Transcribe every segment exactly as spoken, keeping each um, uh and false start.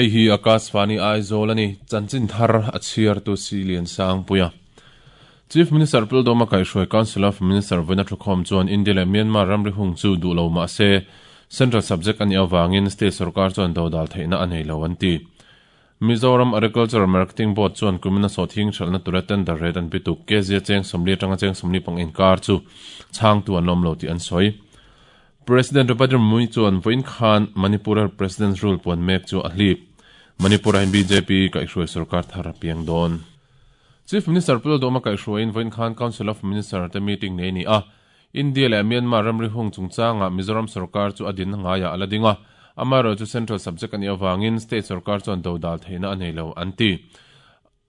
Hei hi Akashvani Aizawl ani chanchin thar a chhiar tu si lian sang puia. Chief Minister Pildoma Kaihhruai Council of Minister voina thukhawm chuan India leh Myanmar ramri hung chu duh lo mah se Central subject ani awangin state sarkar chuan dodal theihna a nei lo an ti. Mizoram Agricultural Marketing Board chuan kumina sawhthing hralhna tura tender rate an bituk kezia cheng sawmli atanga cheng sawmli pang inkar chu chhangtu an lawm lo tih an sawi. President Draupadi Murmu chuan vawiin khan Manipur President's Rule puan mek chu a hlip. Manipur ah B J P kaihhruai sarkar thar a piang dawn. Chief Minister Pildoma kaihhruaiin vawiin khan Council of Minister te meeting nei ni a. India leh Myanmar ramri hung chungchanga Mizoram sarkar chu a din ngaiah a la ding a. Amaherawhchu chu Central subject ani awangin state sarkar chuan dodal theihna a nei lo an ti.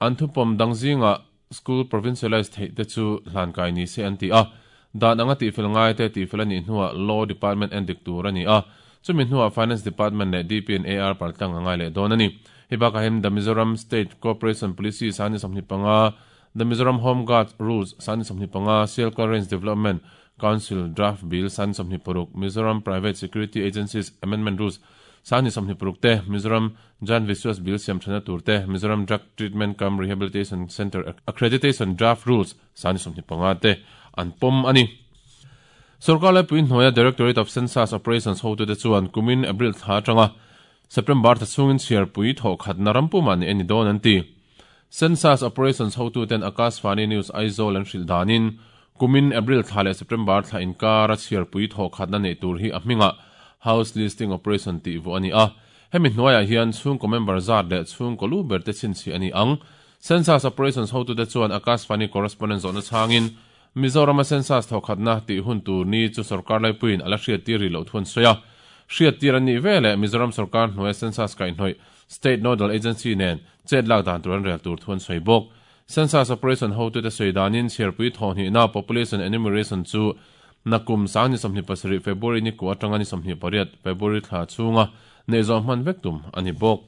An thupawm dang zinga school provincialized theih te chu hlan kai ni se an ti a. Dan anga tihfel ngai te tihfel ani hnuah Law Department en dik tur ani a. Chumi hnuah Finance Department leh D P and A R paltlang angai leh dawn ani. Hei bakah hian The Mizoram State Cooperation Policy sani sawmhnih panga, The Mizoram Home Guard Rules sani sawmhnih panga, Sialkal Range Development Council Draft Bill sani sawmhnih paruk, Mizoram Private Security Agencies Amendment Rules sani sawmhnih paruk te, Mizoram Jan Vishwas Bill siam thana tur te, Mizoram Drug Treatment cum Rehabilitation Centre Accreditation Draft Rules sani sawmhnih panga te an pawm ani. Sarkar laipui hnuaia Directorate of Census Operations hotu te chuan kumin April thla atanga September tha chungin chhiarpui thawh khatna rampuma ni ani dawn an ti. Census Operations hotu ten Akashvani News Aizawl an hrilh danin kumin April thla leh September thla inkar a chhiarpui thawh khatna nei tur hi a hminga House Listing Operation tih vu ani a. Hemi hnuaiah hian chhungkaw member zat leh chhungkaw lu ber te chhinchhi ani ang. Census Operations hotu te chuan Akashvani correspondent zawhna chhangin Mizoram a census thawh khatna tih hun tur ni chu sarkar laipuiin a la hriat tir ri loh thuan sawi a. Hriat tir an nih vele Mizoram sarkar hnuaia census kaihhnawih State Nodal Agency nen chet lak dan tur an rel tur thuan sawi bawk. Census Operation hotu te sawi danin chhiarpui thawh hnihna population enumeration chu nakum sangni sawmhnih pasarih February ni ku atanga ni sawmhnih pariat February thla chhunga nei zawh hman vek tum ani bawk.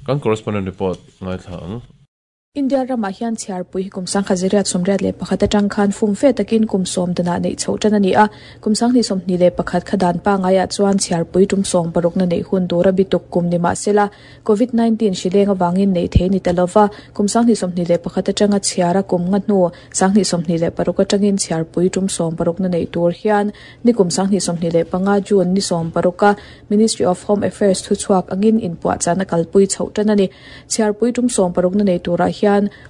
Kan correspondent report ngai thla ang. India ramah hian chhiarpui hi kum sangkhat ziriat sawmriat leh pakhat atang khan fum fe takin kum sawm danah neih chhoh tan ani a. Kum sanghnih sawmhnih leh pakhat kha dan pa ngaiah chuan chhiarpui tum sawm parukna neih hun tura bituk kum ni mah sela covid nineteen hrileng awangin neih thei ni ta lova. Kum sanghnih sawmhnih leh pakhat atanga chhiara kum nga hnu sanghnih sawmhnih leh paruk atangin chhiarpui tum sawm parukna neih tur hian ni kum sanghnih sawmhnih leh panga June ni sawm paruka Ministry of Home Affairs thu chhuak angin inpuah chana kalpui chhoh tan ani. Chhiarpui tum sawm parukna nei turah hian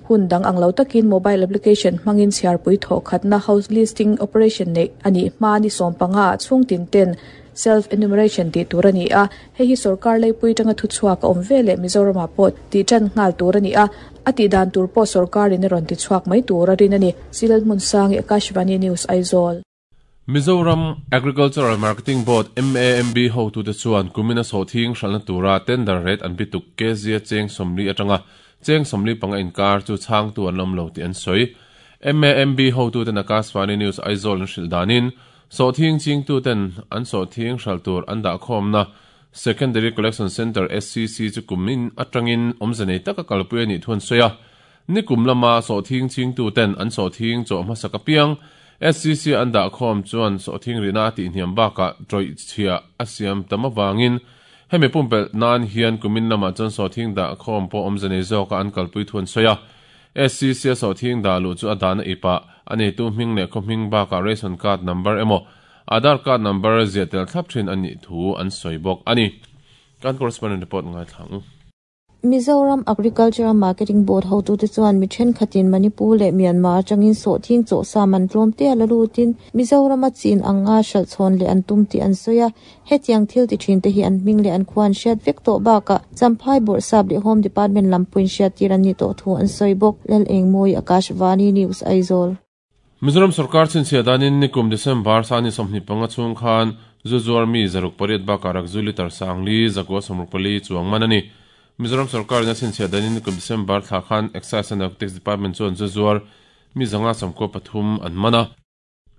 hun dang ang lo takin mobile application hmangin chhiarpui thawh khatna house listing operation nei ani hma ni sawm panga chhung tin ten self enumeration ti tur ani a. Hei hi sarkar leipui tanga thu chhuak a awm vele Mizoram ah pawh ti tan nghal tur ani a. A ti dan tur pawh sarkar in a rawn ti chhuak mai tur a rin ani. Silal hmun sangi Akashvani News Aizawl. Mizoram Agricultural Marketing Board M A M B hotu te chuan kumina sawhthing hralhna tura tender rate an bituk kezia cheng sawmli atanga cheng sawmli panga inkar chu chhangtu an awm lo tih an sawi. M A M B hotu ten Akashvani News Aizawl an hrilh danin sawhthing chingtu ten an sawhthing hral tur an dah khawmna Secondary Collection Center S C C chu kumin atangin awmze nei taka kalpui ani thuan sawi a. Ni kum lama sawhthing chingtu ten an sawhthing chaw hmasa ka piang S C C an dah khawm chuan sawhthing rina tih hniam bakah tawih chhia a siam tam awangin hemi pumpel nan hian kumin lamah chuan sawhthing dah khawm pawh awmze nei zawka an kalpui thuan sawi a. S C C a sawhthing dah luh chu a dahna ipa ani tu hming leh khaw hming bakah ration card number emaw Aadhaar card number zia tel thlap thin ani thu an sawi bawk ani. Kan correspondent report ngai thlang. Mizoram Agricultural Marketing Board hotu te chuan mi thenkhatin Manipur leh Myanmar atangin sawhthing chaw sa man tlawm te a la lutin Mizoram a chin anga hralh chhawn leh an tum tih an sawi a. Hetiang thil ti thin te hi an hming leh an khuan hriat vek tawh bakah Champhai Bawrhsap leh Home Department lampuiin hriat tir an ni tawh thu an sawi bawk. Lal Engmawi Akashvani News Aizawl. Mizoram sarkar chinchhia danin nikum December sani sawmhnih panga chung khan zuzuar mi zaruk pariat bakah rakzu litar sangli zakua sawmruk pali chuang man ani. Mizoram sarkar in a chinchhia danin nikum December thla khan Excise and Narcotics Department chuan zuzuar mi zanga sawmkaw pathum an man a.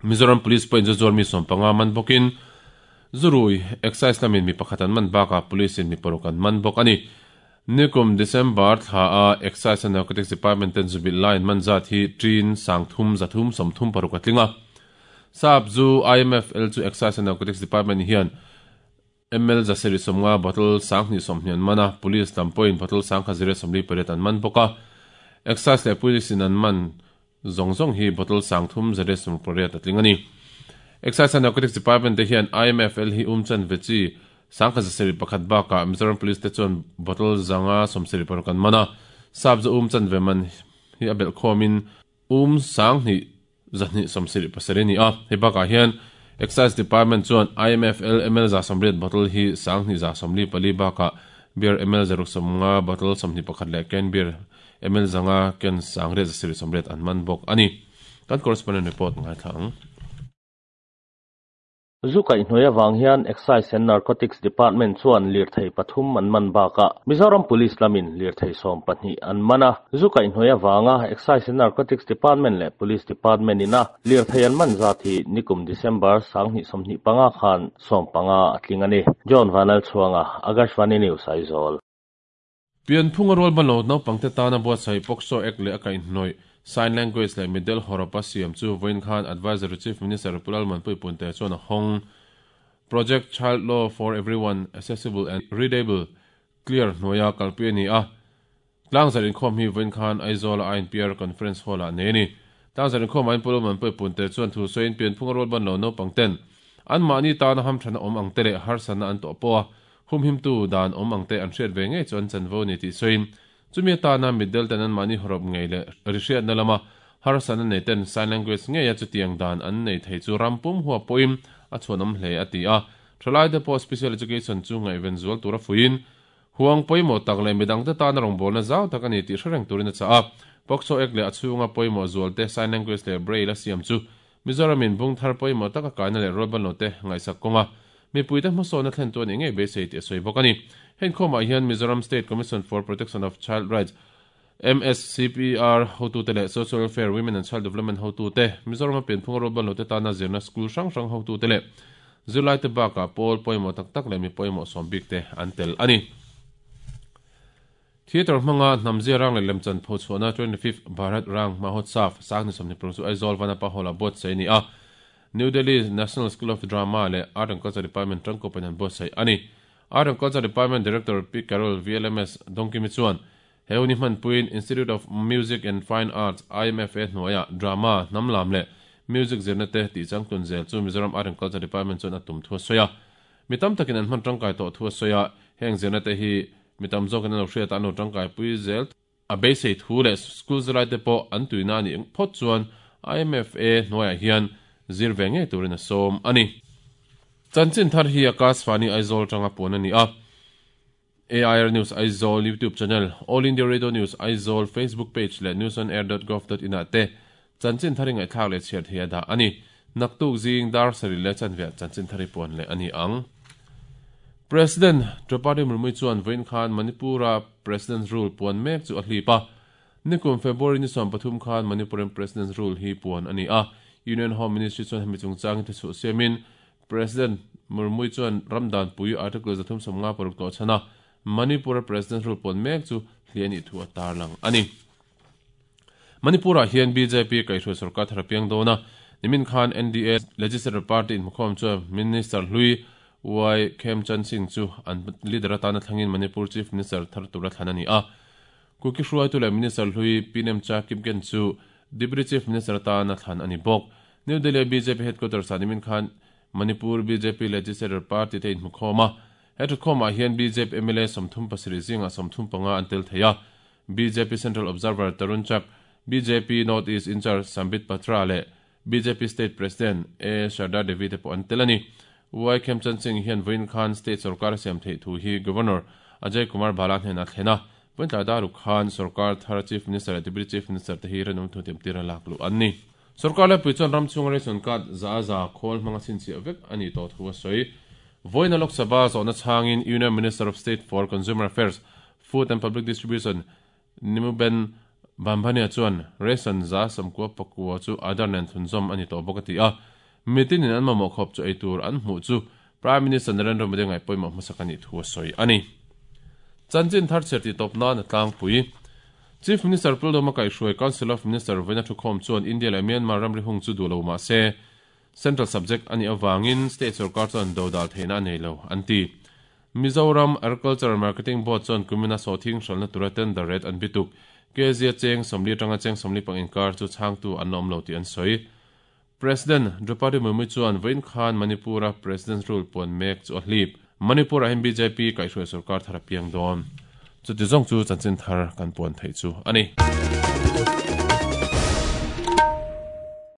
Mizoram Police pawhin zuzuar mi sawm panga man bawkin zurui Excise lamin mi pakhat an man bakah police in mi paruk an man bawk ani. Nikum December thla a Excise and Narcotics Department ten zubil line man zat hi tin sangthum zathum sawmthum paruk a tlinga. Sap zu I M F L chu Excise and Narcotics Department hian M L zaseri somnga bottle sang ni somhnian mana police lampoin bottle sang kha zire somli pariat an man boka excise le police in an man zong zong hi bottle sang thum zare som pariat atling ani Excise and Narcotics Department te hian I M F L hi umchan vechi sang kha zaseri pakhat ba ka Mizoram Police te chuan bottle zanga somseri paruk an mana sab zo umchan veman hi abel khomin um sang ni zani somseri pasari ni a he ba ka hian Excise Department chuan I M F L M L za somriat bottle hi sang ni za somli pali ba ka beer M L zaruk somnga bottle somni pakhat le can beer M L zanga ken sangre zaseri somriat an man bok ani kan correspondent report ngai thang Zukai hnuaia wang hian Excise and Narcotics Department chuan lirthei pathum an man baka Mizoram Police lamin lirthei sawm pahnih an mana Zukai hnuaia wanga Excise and Narcotics Department le Police Department ina lirthei an man zat hi nikum December sanghnih sawmhnih panga khan sawm panga atling ani John Vanal chuanga Akashvani News Aizawl Pian phunga rol bano no pangte tana bo sai pokso ek le akai hnoi sign language le middle horopa siam chu voin khan advisory chief minister Pulal Manpui Punte chuan hong project child law for everyone accessible and readable clear noya kalpi ni a tlang zarin khom hi voin khan Aizawl I N P R conference hall a ne ni tlang zarin khom ain Pulal Manpui Punte chuan thu soin pian phunga rol ban lo no pangten an mani ta na ham thana om ang tele har sana an to po hum him tu dan om ang te an hriat ve nge chuan chanvo ni ti soin chumi ta na middle ten an mani horop ngei le rihriat na lama har sana nei ten sign language nge ya chu tiang dan an nei thei chu rampum huwa poim a chuanom hle ati a thalai de po special education chu ngai ven zual tura fuin huang poimo tak le midang te ta na rong bol na zau tak ani ti hreng turin cha a pokso ek le achunga poimo zual te sign language le braille a siam chu Mizoramin bung thar poimo taka kaina le rolban lo te ngai sak konga mi puite hmaso na thlen tu ani ngei beisei ti soi bawk ani hen khoma hian Mizoram State Commission for Protection of Child Rights M S C P R hotu te le Social Welfare Women and Child Development hotu te Mizoram pian phung rolban lo te ta na zirna school hrang hrang hotu te le Zulai te baka pawl poimo tak tak le mi poimo som bik te an tel ani Theater hmanga hnamzia rang le lemchan pho chhuahna twenty-fifth Bharat Rang Mahotsav sangni somni paruk chu Aizawl Vanapa Hall a buat sei ni a New Delhi National School of Drama le Art and Culture Department tangko penan buat sei ani Art and Culture Department Director P Carol V L M S Dongkimi chuan heuni hman puin Institute of Music and Fine Arts I M F A hnuaia drama hnamlam le music zirna te ti changtun zel chu Mizoram Art and Culture Department chuan a tum thua soya mitam takin an hman tangkai to thua soya heng zirna te hi mitam zawk an lo hriat an lo tangkai pui zel a beisei thu le school zilai te pawh an tuina ani phawt chuan I M F A hnuaiah hian zir ve ngei turin a sawm ani Chanchin thar hi Akashvani Aizawl tanga puan ani a A I R News Aizawl YouTube channel All India Radio News Aizawl Facebook page le news on air dot gov dot in te chanchin thari ngai thlak le chhiar thei da ani naktuk zing dar sari le chanve chanchin thari puan le ani ang President Draupadi Murmu chuan Vain Khan Manipura President's Rule puan mek chu a hlipa nikum February ni sawm pathum khan Manipuram President's Rule hi puan ani a Union Home Ministry chuan hemi chungchang te chu siamin President Murmu chuan Ramdan pui article zathum somnga paruk to chana Manipura President's Rule puan mek chu hliani thu atar lang ani Manipura hian B J P kaihhruai sarkar tharapiang dona nimin khan N D A Legislative Party in mukhom chu Minister Hlui Y Khemchand Singh chu an leader atana thlangin Manipur Chief Minister thar tura thlanani a Kuki hruai tu le Minister Hlui Pinem Cha Kipgen chu Deputy Chief Minister atana thlan ani bawk New Delhi B J P headquarters animin khan Manipur B J P Legislative Party te in mukhoma he khoma hian B J P M L A somthum pasarih zinga somthum panga an tel theia B J P Central Observer Tarun Chak B J P North East in charge Sambit Patra le B J P State President A Sharda Devi te pawh an tel ani Y Khemchand Singh hian Vain Khan State Sarkar siam thei thu hi Governor Ajay Kumar Bhala hnena thlena Vain Daru Khan Sarkar thar Chief Minister le Deputy Chief Minister te hi ranum thu tem tira lak lu an ni Sarkar le puichon ram chung ration card za za khol hmanga chin chi vek ani to thu soi Voina Lok Sabha zawna changin Union Minister of State for Consumer Affairs Food and Public Distribution Nimuben Bambania chuan ration za samkua pakua chu adar nen thunzawm ani to bawk ati a mitin in an mamawh khawp chu eitur an hmuh chu Prime Minister Narendra Modi ngai pawimawh hmasak ani thu a sawi ani Chanchin thar cherti tawp nan a tlangpui Chief Minister Puldoma Kaihhruai Council of Minister Vaina Thukhawm chuan India le Myanmar ramri hung chu duh lo mah se Central subject ani awangin state sarkar chuan dodal theihna a nei lo an ti Mizoram Agriculture Marketing Board chuan kumina sawhthing hralhna tura tender rate an bituk kezia cheng sawmli atanga cheng sawmli pang inkar chu chhangtu an awm lo tih an sawi. President Draupadi Murmu chuan vawiin khan Manipura President rule puan mek chu a hlip. Manipur ah hian B J P kaihhruai sarkar thar a piang dawn. Chuti zawng chu chanchin thar kan puan theih chu a ni.